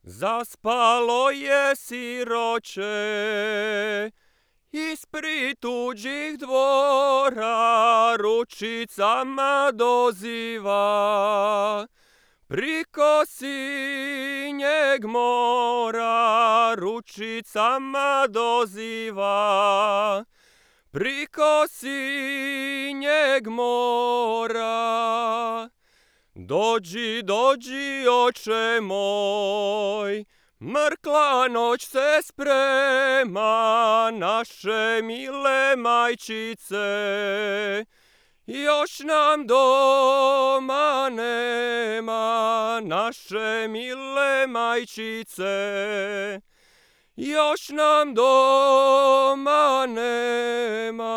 Zaspalo je siroče ispred tuđih dvora, ručicama doziva. Priko sinjeg mora, ručicama doziva. Priko sinjeg mora. Dođi, dođi, oče moj, mrkla noć se sprema, naše mile majčice, još nam doma nema, naše mile majčice, još nam doma nema.